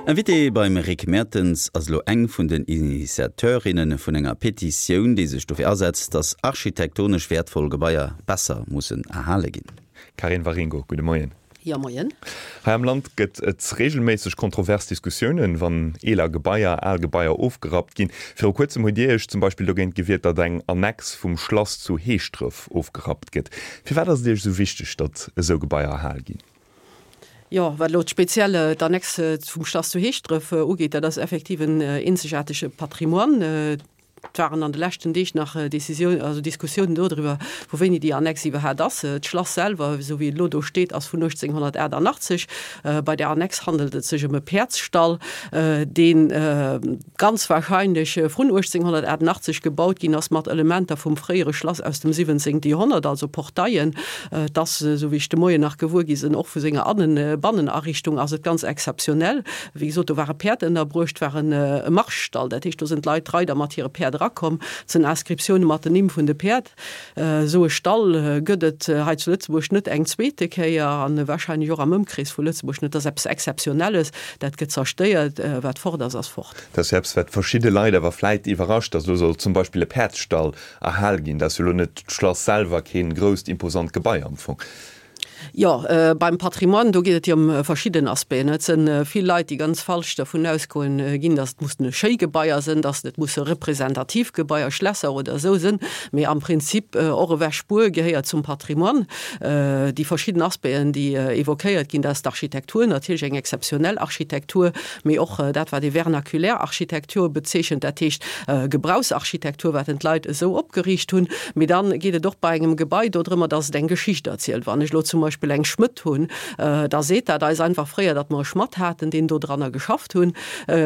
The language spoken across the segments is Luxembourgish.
Invitée beim Rick Mertens ass elo eng vun den Initiateurinne vun enger Petitioun, déi sech dofir asetzt, datt architektonesch wäertvoll Gebaier besser mussen erhale ginn. Karin Waringo, gudde Moien. Jo, moien. Hei am Land gëtt et reegelméisseg kontrovers Diskussiounen, wann eeler Gebaier, al Gebaier ofgerappt ginn. Viru kuerzem hutt Dir Iech zum Beispill dogéint gewiert, datt eng Annex vum Schlass zu Heeschdref ofgerappt gëtt. Firwat ass et Iech esou wichteg, datt esou Gebaier erhal ginn? Jo, wat elo speziell d'Annexe vum Schlass zu Heeschdref ugeet, dat ass effektiv en eenzegaartege Patrimoine. Et waren an de leschten Deeg nach Décisioun, also Diskussiounen dodriwwer, vu wéini déi Annex iwwerhaapt ass. D'Schlass selwer, esou wéi et elo do steet, ass vun 1888. Bei där Annex handelt et sech ëm e Päerdsstall, dee ganz wahrscheinlech vrun 1888 gebaut ginn ass, mat Elementer vum fréiere Schlass aus dem 17. Joerhonnert, also Portaillen. Et ass, esou wéi ech de Moien nach gewuer gi sinn, och vu senger Bannenariichtung ass et ganz exzeptionell. Wéi gesot, do ware Päerd ënnerbruecht, war e Marschstall, dat heescht, do sinn d'Leit, d'Reider mat hire Päerd erakomm. Et sinn Inscriptioune mat den Nimm vun de Päerd. Esou e Stall gëtt et hei zu Lëtzebuerg net eng zweete Kéier an wahrscheinlech och am Ëmkrees vu Lëtzebuerg net. Dat ass eppes Exzeptionelles, dat gëtt zerstéiert. Wat fort ass, ass fort. Dat ass jo eppes, wat verschidde Leit awer vläit iwwerrascht, datt elo soll zum Beispill e Päerdsstall erhal ginn. Dat ass jo elo net d'Schlass selwer, keen grousst imposant Gebai am Fong. Jo, beim Patrimoine, do geet et jo ëm verschidden Aspecten. Et sënn vill Leit, déi ganz falsch dervun ausgoen ginn, datt et mussen schéi Gebaier sënn, datt et musse representativ Gebaier, Schlässer oder esou sënn. Mee am Prinzip och e Wäschbuer gehéiert zum Patrimoine. Déi verschidden Aspecten, déi évoquéiert ginn, dat ass d'Architektur, natierlech eng exzeptionell Architektur, mee och dat wat ee vernaculär Architektur bezeechent, dat heescht Gebrauchsarchitektur, wat en d'Leit esou opgeriicht hunn. Mee dann geet et och bei engem Gebai dodrëmmer, dass et eng Geschicht erzielt. Wann ech elo zum Beispill eng Schmëdd hunn, da seet dat eis einfach fréier, datt mer e Schmadd haten, deen dodranner geschafft hunn,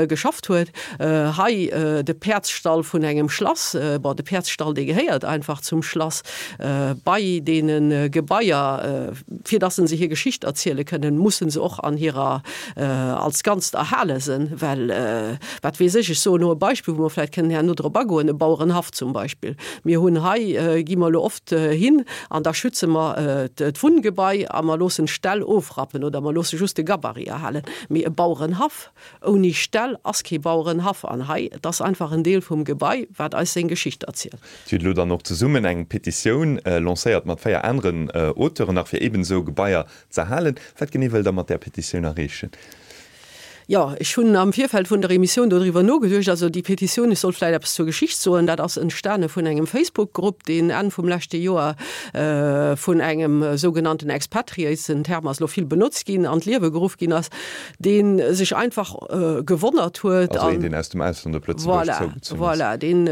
geschafft huet. Hei de Päerdsstall vun engem Schlass, bon, de Päerdsstall, dee gehéiert einfach zum Schlass. Bei deene Gebaier, fir dass se hir Geschicht erziele kënnen, musse se och an hirer als Ganzt erhale sënn, well wat weess ech, ech soen elo e Beispill, wou mer vläicht kënnen herno drop agoen, e Bauerenhaff zum Beispill. Mir hunn hei, gi mer elo oft hin an da schütze mer d'Wunngebai a mer loossen d'Ställ ofrappen oder mer loosse just de Gabarit erhalen. Mee e Bauerenhaff ouni Ställ ass kee Bauerenhaff an hei, et ass einfach en Deel vum Gebai, wat eis seng Geschicht erzielt. Dir hutt elo dann och zesummen eng Petitioun lancéiert mat 4 aneren Auteuren nach, fir eben esou Gebaier Z'erhalen. Wat genee wëllt Der mat där Petitioun erreechen? Jo, ech hunn am Virfeld vun der Emissioun dodriwwer nogeduecht. Also déi Petitioun, ech soll vläicht eppes zur Geschicht soen, dat ass entstane vun engem Facebook-Grupp, deen Enn vum leschte Joer vun engem sougenannten Expatriate, den Term ass elo vill benotzt ginn, an d'Liewe geruff ginn ass, dee sech einfach gewonnert huet. Also een, deen aus dem Ausland op Lëtzebuerg zougezunn ass. Voilà, deen,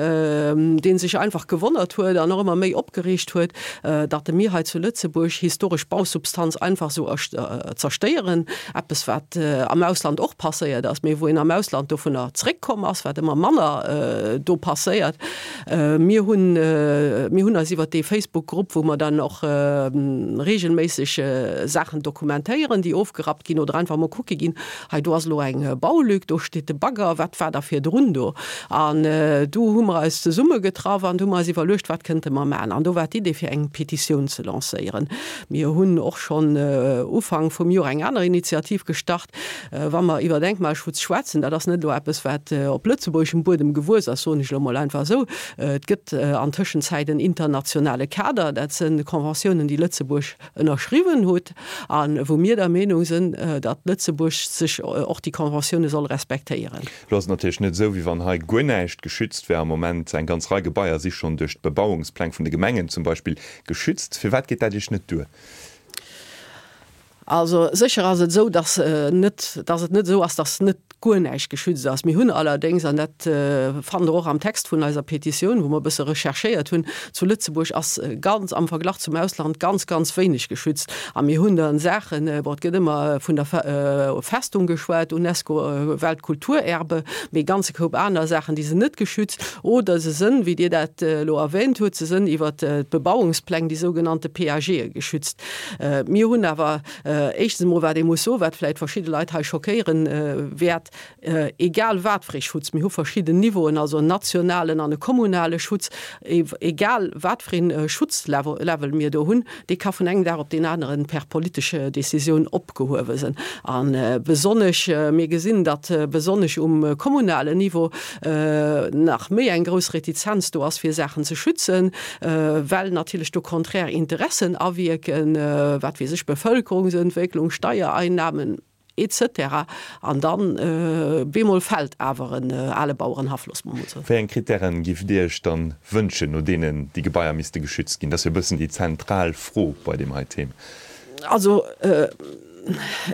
dee sech einfach gewonnert huet an och ëmmer méi opgereegt huet, datt mir hei zu Lëtzebuerg historesch Bausubstanz einfach esou zerstéieren, eppes wat am Ausland och passéiert ass, mee wou een am Ausland dovunner zréckkomm ass, wat ëmmer manner do passéiert. Mir hunn, mir hunn eis iwwert dee Facebook-Grupp, wou mer dann och regelméisseg Saachen dokumentéieren, déi ofgerappt ginn oder einfach emol kucke ginn, Hei do ass elo eng Baulück, do steet de Bagger, wat war da virdrun do? An du hu mer eis zesummegetraff an du hu mer eis iwwerluecht, wat kënnte mer maachen? An do war d'Idee fir eng Petitioun ze lancéieren. Mir hunn och schonn Ufank vum Joer eng aner Initiativ gestart, wa mer iwwer Denkmalschutz schwätzen. Dat ass net elo eppes, wat op lëtzebuergeschem Buedem gewuess ass, soen ech elo mol einfach esou. Et gëtt an Tëschenzäit en internationale Kader, dat sinn Conventiounen, déi Lëtzebuerg ënnerschriwwen hutt a wou mir der Meenung sinn, datt Lëtzebuerg sech och déi Conventioune soll respektéieren. Elo ass et natierlech net esou, wéi wann hei guer näischt geschützt wär am Moment. Eng ganz Rei Gebaier si schonn duerch d'Bebauungspläng vun de Gemengen zum Beispill geschützt. Firwat geet dat Iech net duer? Also sécher ass et esou, datt net, datt et net esou ass, datt net guer näischt geschützt ass. Mir hunn allerdéngs, an dat fannt Der och am Text vun eiser Petitioun, wou mer e bësse recherchéiert hunn, zu Lëtzebuerg ass ganz, am Verglach zum Ausland, ganz, ganz wéineg geschützt. A mir hunn dann Saachen, bon, et gëtt ëmmer vun der Festung geschwat, UNESCO Weltkulturerbe, mee e ganze Koup aner Saachen, déi sinn net geschützt oder se sënn, wéi Dir dat elo erwähnt hutt, se sënn iwwert d'Bebauungspläng, déi sougenannte PAGe geschützt. Mir hunn awer. Éischtens emol, wat ee muss soen, wat vläicht verschidde Leit hei schockéieren wäert, Egal wat fir ee Schutz, mir hu verschidden Niveauen, also en nationalen an e kommunale Schutz, egal wat fir ee Schutzlevel mir do hunn, dee ka vun engem Dag op deen aneren per politesche Décisioun opgehuewe sinn. A besonnesch, mir gesinn, datt besonnesch um kommunalen Niveau nach méi eng grouss Retizenz do ass, fir Saachen ze schützen, well natierlech do konträr Interessen awierken, wat weess ech, Bevölkerungsentwécklung, Steiereinnahmen, Etc. An dann bemol fällt awer en ale Bauerenhaff, loosse mer mol soen. Wéi eng Krittären giff Dir Iech dann wënschen, no deenen déi Gebaier misste geschützt ginn? Dat ass jo e bëssen déi zentral Fro bei deem hei Thema. Also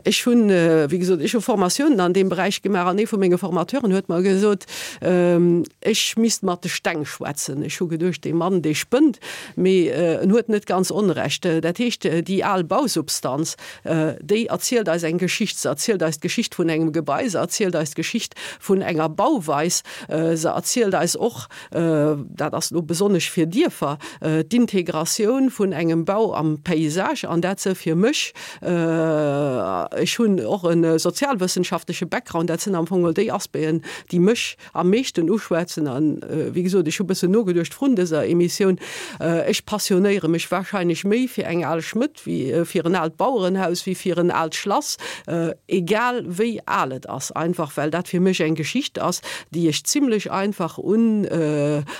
ech hunn, wéi gesot, ech hu Formatiounen an deem Beräich gemaach an ee vu menge Formateuren huet mer gesot, ech misst mat de Steng schwätzen. Ech hu geduecht, dee Mann, dee spënnt, mee en huet net ganz Onrecht. Dat heescht, déi al Bausubstanz, Déi erzielt eis eng Geschicht. Se erzielt eis d'Geschicht vun engem Gebai, se erzielt eis d'Geschicht vun enger Bauweis, se erzielt eis och, dat ass elo besonnesch fir Dierfer, d'Integratioun vun engem Bau am Paysage. An dat se fir mech, ech hunn och e sozialwëssenschaftleche Background, dat sinn am Fong geholl déi Aspecten, déi mech am meeschten uschwätzen. An wéi gesot, ech hu bëssen nogeduecht vrun dëser Emissioun, ech passionéiere mech wahrscheinlech méi fir eng al Schmëdd wéi fir en aalt Bauerenhaus, wéi fir en aalt Schlass, egal wéi al et ass, einfach well dat fir mech eng Geschicht ass, déi ech zimlech einfach un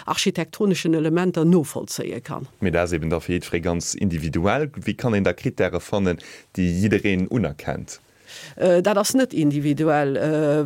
architektoneschen Elementer novollzéie kann. Mee dat ass eben da fir jiddweree ganz individuell. Wéi kann een da Krittäre fannen, déi jiddereen unerkennt? Dat ass net individuell,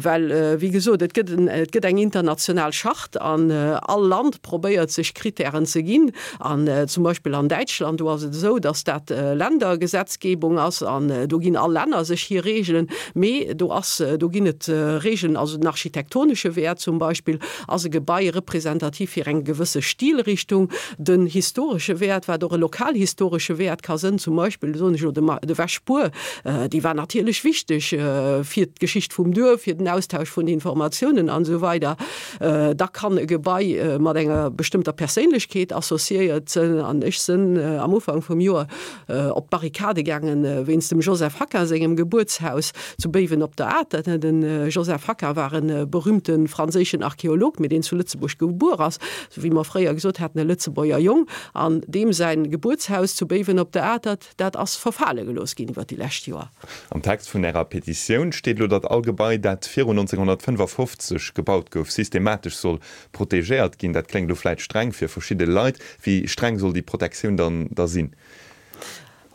well, wéi gesot, et gëtt et gëtt eng international Charte an all Land probéiert sech Krittären ze ginn. An zum Beispill an Däitschland, do ass et esou, datt dat Ländergesetzgebung ass an do ginn all Länner sech hir Regeln. Mee do ass, do ginn et Regeln, also den architektonesche Wäert zum Beispill, ass e Gebai representativ fir eng gewësse Stilrichtung, den historesche Wäert, wat och e lokalhistoresche Wäert ka sënn, zum Beispill, soen ech elo, de Wäschbuer, Déi war natierlech wichteg fir d'Geschicht vum Duerf, fir den Austausch vun Informatiounen an esou weider. Da kann e Gebai mat enger bestëmmter Perséinlechkeet associéiert sënn. An ech sënn am Ufank vum Joer op d'Barrikade gaangen wéinst dem Joseph Hacquin sengem Gebuertshaus zu Béiwen op der Atert. De Joseph Hacquin war e berühmte franséischen Archeolog, mee deen zu Lëtzebuerg gebuer ass, sou wéi mer fréier gesot haten, e Lëtzebuerger Jong. An deem säin Gebuertshaus zu Béiwen op der Atert, Dat ass verfale gelooss ginn iwwer déi lescht Joer. Am Text vun Ärer Petitioun steet elo, datt all Gebai, dat virun 1955 gebaut gouf, systematesch soll protegéiert ginn. Dat kléngt elo vläit streng fir verschidde Leit. Wéi streng soll déi Protektioun dann da sinn?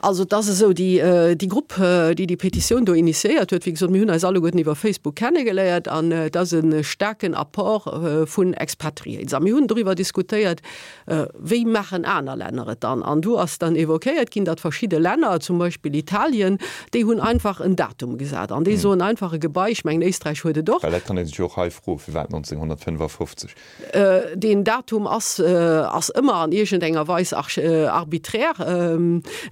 Also et ass esou, déi déi Grupp, déi déi Petitioun do initiéiert huet, wéi gesot, mir hunn eis alleguerten iwwer Facebook kennegeléiert an et ass e staarken Apport vun Expatriés. A mir hunn doriwwer diskutéiert, Wéi maachen aner Länner et dann? An do ass dann évoquéiert ginn, datt verschidde Länner, zum Beispill Italien, déi hunn einfach en Datum gesat an déi soen einfach e Gebai, ech mengen Éisträich huet et och. Well dat kann ee sech jo och hei froen, firwat 1955? Deen Datum ass ass ëmmer an iergendenger Weis arbiträr.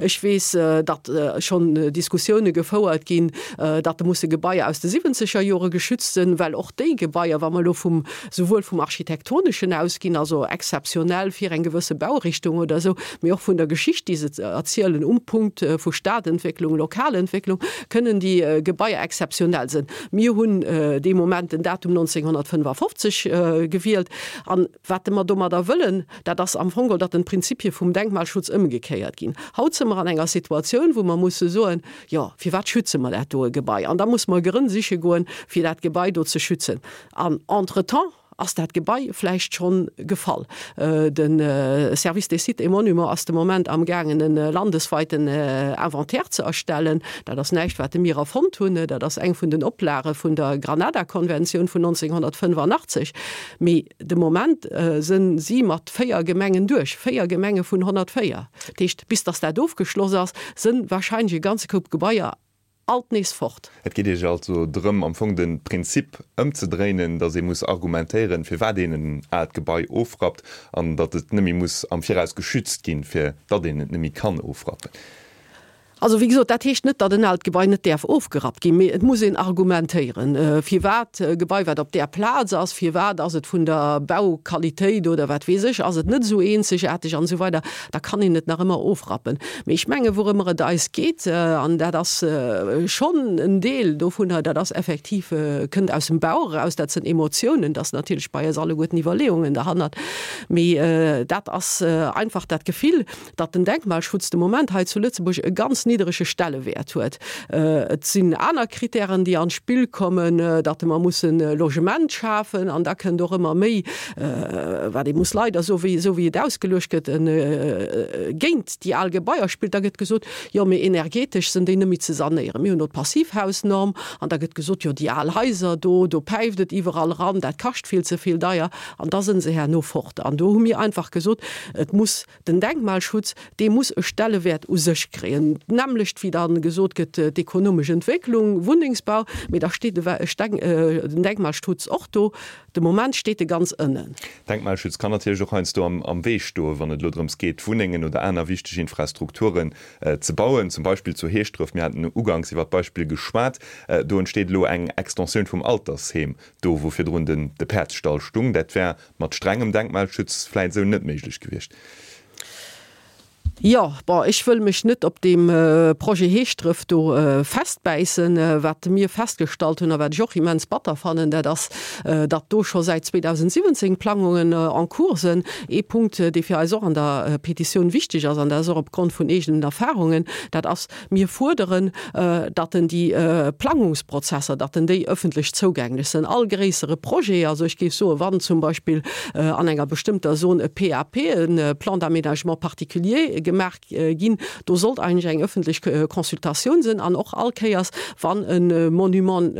Ech weess, datt schonn Diskussioune gefouert ginn, datt musse Gebaier aus de siwwenzeger Jore geschützt sinn, well och déi Gebaier, wa mer elo vum souwuel vum Architektoneschen ausginn, also exzeptionell fir eng gewësse Baurichtung oder esou, mee och vun der Geschicht, déi se erzielen um Punkt vu Stadentwécklung, Lokalentwécklung, kënnen déi Gebaier exzeptionell sinn. Mir hunn dee Moment den Datum 1955 gewielt. An wat mer domadder wëllen, dat ass am Fong geholl, datt den Prinzipie vum Denkmalschutz ëmgekéiert ginn. Haut si mer an enger Situatioun, wou mer musse soen, Jo, firwat schütze mer dat doe Gebai? An da musse mer Grënn siche goen, fir dat Gebai do ze schützen. An entretemps ass dat Gebai vläicht schonn gefall. De Service des Sites et Monuments ass de Moment amgaangen e landesweiten Inventaire ze erstellen. Dat ass näischt wat mir erfonnt hunn, dat ass eng vun den Oplage vun der Granada-Konventioun vun 1985. Mee de Moment sënn si mat 4 Gemengen duerch, 4 Gemenge vun 104. Dat heescht, bis datt dat ofgeschloss ass, sënn wahrscheinlech e ganze Koup Gebaier alt nees fort. Et geet Iech also drëm, am Fong de Prinzip ëmzedréinen, datt ee muss argumentéieren, firwat een en aalt Gebai ofrappt an datt et net méi muss am Viraus geschützt ginn, fir datt een et net méi kann ofrappen. Also, wéi gesot, dat heescht net, datt en aalt Gebai net däerf ofgerappt ginn, mee et muss een argumentéieren, firwat e Gebai, wat op där Plaz ass, firwat ass et vun der Bauqualitéit oder wat weess ech, ass et net esou eenzegaarteg an esou weider. Da kann een et nach ëmmer ofrappen. Mee ech mengen, wourëmmer et eis geet, an dat ass schonn en Deel dovunner, dat ass effektiv, kënnt aus dem Bauch eraus, dat sinn Emotiounen, dat ass natierlech bei eis alleguerten Iwwerleeungen derhannert, mee dat ass einfach dat Gefill, datt den Denkmalschutz de Moment hei zu Lëtzebuerg e ganz nidderege Stellewäert huet. Et sinn aner Kritären, déi an d'Spill kommen, datt mer mussen Logement schafen an da kënnt och ëmmer méi, wat ee muss leider soen, wéi esou wéi et ausgeluecht gëtt, géint déi al Gebaier spillt. Da gëtt gesot, jo mee energetesch sinn déi net méi ze sanéieren. Mir hunn do d'Passivhausnorm an da gëtt gesot, jo déi al Haiser do, do päift et iwwerall eran, dat kascht vill ze vill deier an da sinn se herno fort. An do hu mir einfach gesot, et muss Den Denkmalschutz, dee muss e Stellewäert u sech kréien, d'nämmlecht wéi da gesot gëtt, d'ekonomesch Entwécklung, Wunnengsbau, mee da steet den Denkmalschutz och do. De Moment steet e ganz ënnen. Denkmalschutz kann natierlech och heiansdo am Wee stoen, wann et elo drëms geet, Wunnengen oder aner wichteg Infrastrukturen ze bauen, zum Beispill zu Heeschdref. Mir haten uganks iwwer d'Beispill geschwat. Do entsteet elo eng Extensioun vum Altersheem, do wou virdrun de Päerdsstall stung. Dat wär Mat strengem Denkmalschutz vläit esou net méiglech gewiescht. Jo, bon, ech wëll mech net op deem Projet Heeschdref do festbäissen. Wat mir festgestallt hunn a wat ech och immens batter fannen, dat ass, datt do scho säit 2017 Plangungen en cours sinn. Ee Punkt, dee fir eis och an der Petitioun wichteg ass, an dat ass och opgrond vun eegenen Erfahrungen, dat ass, Mir fuerderen, datt en déi Plangungsprozesser, datt en déi ëffentlech zougänglech sinn. All gréissere Projet, also ech géif soen, wann zum Beispill an enger bestëmmter Zon e PAP, e Plan d'aménagement particulier, gemaach ginn, do sollt eigentlech eng ëffentlech Consultatioun sinn. An och all Kéiers, wann e Monument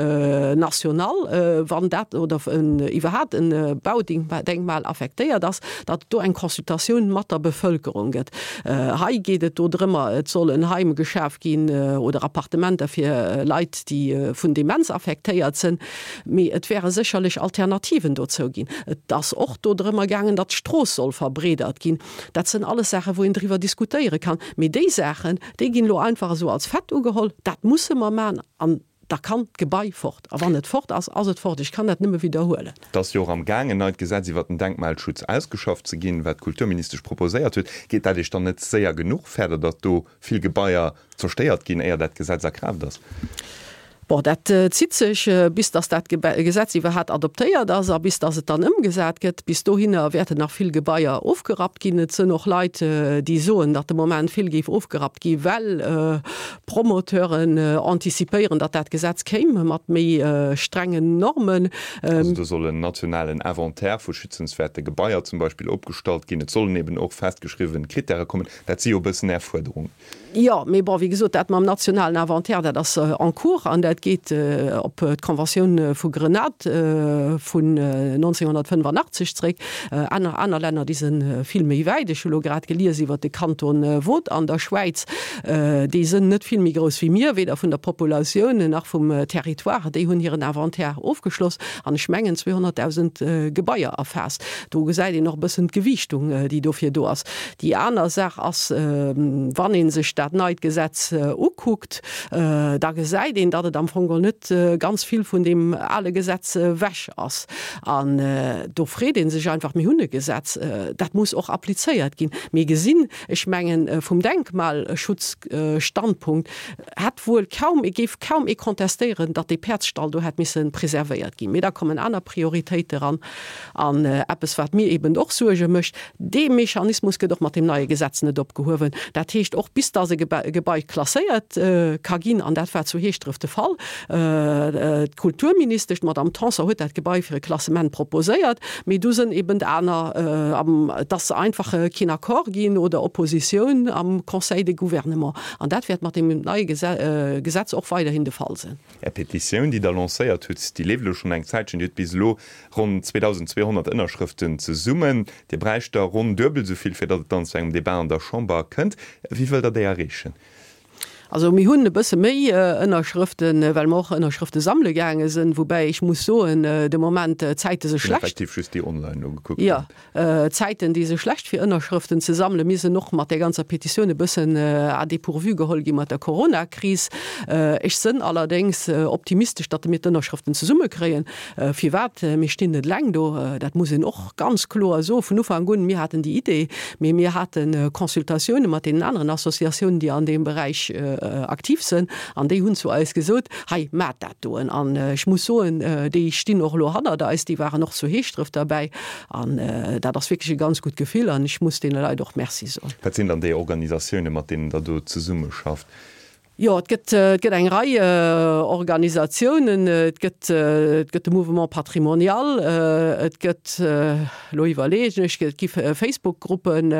national, wann dat oder iwwerhaapt e Baudenkmal affektéiert ass, datt et do eng Consultatioun mat der Bevëlkerung gëtt. Hei geet et do drëmmer, et soll en Heim geschaf ginn oder Appartementer fir Leit, déi vun Demenz affektéiert sinn. Mee et wäre sécherlech Alternativen dozou ginn. Et ass och do drëmmer gaangen, datt d'Strooss soll verbreedert ginn. Dat sënn alles Saachen, wou een driwwer diskutéiere kann. Mee déi Saachen, déi ginn elo einfach esou als Fait ugeholl, dat musse mer maachen. An Da kann d'Gebai fort. A wann et fort ass, ass et fort. Ech kann dat nëmme widderhuelen. Et ass jo och am Gaang, en neit Gesetz iwwert den Denkmalschutz ausgeschafft ze ginn, wat d'Kulturministesch proposéiert huet. Geet dat Iech dann net séier genuch? Fäert Der, datt do vill Gebaier zerstéiert ginn, éier dat Gesetz a Kraaft ass? Bon, dat zitt sech, bis datt dat Gesetz iwwerhaapt adoptéiert ass a bis datt et dann ëmgesat gëtt. Bis dohinner wäerten nach vill Gebaier ofgerappt ginn. Et sënn och Leit, déi soen, datt de Moment vill géif ofgerappt gi well Promoteuren anticipéieren, datt dat Gesetz kéim mat méi strengen Normen. Also do soll en nationalen Inventaire vu schützenswäerte Gebaier zum Beispill opgestallt ginn. Et sollen eben och festgeschriwwen Krittäre kommen. Dat si jo e bëssen Är Fuerderungen. Jo, mee bon, wéi gesot, dat mam nationalen Inventaire, dat ass en cours an dat geet op d'Conventioun vu Grenade vun 1985 zréck. Aner, aner Länner, déi si vill méi wäit. Ech hu lo grad gelies iwwert de Kanton Vaud an der Schwäiz. Déi sënn net vill méi grouss wéi mir, weder vun der Populatioun nach vum Territoire. Déi hunn hiren Inventaire ofgeschloss an ech mengen 200.000 Gebaier erfaasst. Do gesäit een och e bëssen d'Gewiichtung, déi dofir do ass. Déi aner Saach ass, wann ee sech dat neit Gesetz ukuckt, da gesäit een, datt et am Fong geholl net ganz vill vun deem ale Gesetz ewech ass. An do freet ee sech einfach, mir hunn e Gesetz, dat muss och applizéiert ginn. Mir gesinn, Ech mengen, vum Denkmalschutzstandpunkt hätt wuel kaum, géif kaum ee contestéieren, datt dee Päerdsstall do hätt misse preservéiert ginn. Mee da kommen aner Prioritéite eran. An eppes, wat mir eben och Suerge mécht, Dee Mechanismus gëtt och mat deem neie Gesetz net opgehuewen. Dat heescht, och bis datt e Gebai klasséiert ka ginn, an dat war zu Heeschdref de Fall, D'Kulturministesch, d'Madame Tanson, huet dat Gebai fir e Klassement proposéiert, mee du sënn eben aner, et ass einfach keen Accord ginn oder Oppositioun am Conseil de Gouvernement. An dat wäert mat deem neie Gesetz och weiderhin de Fall sinn. Är Petitioun, déi Der lancéiert hutt, déi leeft elo schonn eng Zäitchen. Dir hutt bis elo ronn 2.200 Ënnerschrëften zesummen. Dir bräicht der ronn duebel esou vill, fir datt et dann zu engem Debat an der Chamber kënnt. Wéi wëllt Der déi erreechen? Also mir hunn e bësse méi Ënnerschrëften, well mer och Ënnerschrëfte sammele gaange sinn, woubäi ech muss soen, de Moment d'Zäite se schlecht. Effektiv just déi online nogekuckt. Jo, d'Zäiten déi se schlecht fir Ënnerschrëften ze sammelen. Mir sinn och mat där ganzer Petitioun e bëssen à dépourvu geholl gi mat der Coronakris. Ech sënn allerdéngs optimistesch, datt mir d'Ënnerschrëften zesummekréien. Firwat? Mir stinn net eleng do, dat muss een och ganz kloer soen. Vun Ufank un, mir haten déi Idee, mee mir hate Consultatioune mat deenen aneren Associatiounen, déi an deem Beräich aktiv sënn, an déi hunn zu eis gesot, Hei, maacht dat doen. An ech muss soen, déi stinn och elo hannert eis, déi waren och zu Heeschdref derbäi. An dat ass wierklech e ganz gutt Gefill an ech muss deene Leit och Merci soen. Wat sinn dann déi Organisatioune, mat deenen Der do zesummeschafft? Jo, et gëtt, et gëtt eng Rei Organisatiounen. Et gëtt, et gëtt de Mouvement Patrimonial, et gëtt, elo iwwerleegen ech, et gi Facebook-Gruppen,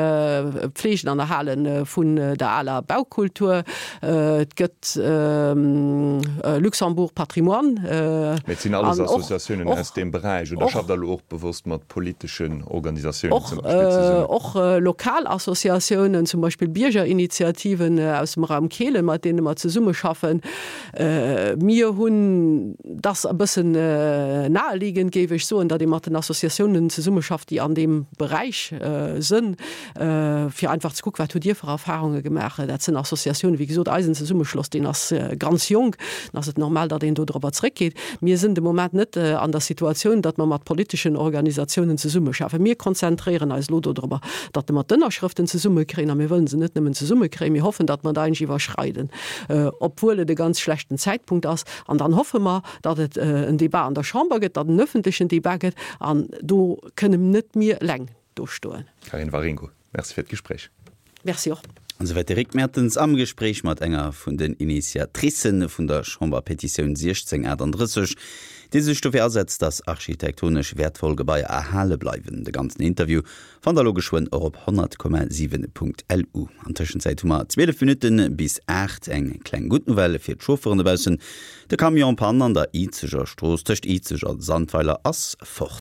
Pflegen an Erhale vun der aler Baukultur, et gëtt Luxembourg Patrimoine. Mee et sinn alles Associatiounen aus deem Beräich, oder schafft Der elo och bewosst mat politeschen Organisatiounen zum Beispill zesummen? Och lokal Associatiounen, zum Beispill Biergerinitiativen aus dem Raum Kehlen, mat deene mer zesummeschaffen. Mir hunn, dat ass e bëssen naheliegend, géif ech soen, datt ee mat den Associatiounen zesummeschafft, déi an deem Beräich sënn, fir einfach ze kucken, wat hutt Dir fir Erfahrunge gemaach. Dat sënn Associatiounen, wéi gesot, eisen Zesummeschloss, deen ass ganz jonk, dann ass et normal, datt een do dorobber zréckgeet. Mir sënn de Moment net an der Situatioun, datt mer mat politeschen Organisatiounen zesummeschaffen. Mir konzentréieren eis elo dodrobber, datt mer d'Ënnerschrëften zesummekréien, a mir wëllen se net nëmmen zesummekréien, mir hoffen, datt mer der eigentlech iwwerschreiden, obwuel et e ganz schlechten Zäitpunkt ass. An dann hoffe mer, datt et en Débat an der Chamber gëtt, datt en öffentlechen Débat gëtt, an do kënnen net mir eleng do stoen. Carine Waringo, Merci fir d'Gespréich. Merci och. An esouwäit de Rick Mertens am Gespréich mat enger vun den Initiatricë vun der Chamberpetitioun 1638, déi sech dofir asetzt, datt architektonesch wäertvoll Gebaier erhale bleiwen. De ganzen Interview fannt der elo geschwënn och op 100,7.lu. An Tëschenzäit hu mer 12 Minutte bis 8. Eng kleng gutt Nouvelle fir d'Chauffeuren dobaussen, De Camion en panne an der Izeger Strooss tëscht Izeg a Sandweiler ass fort.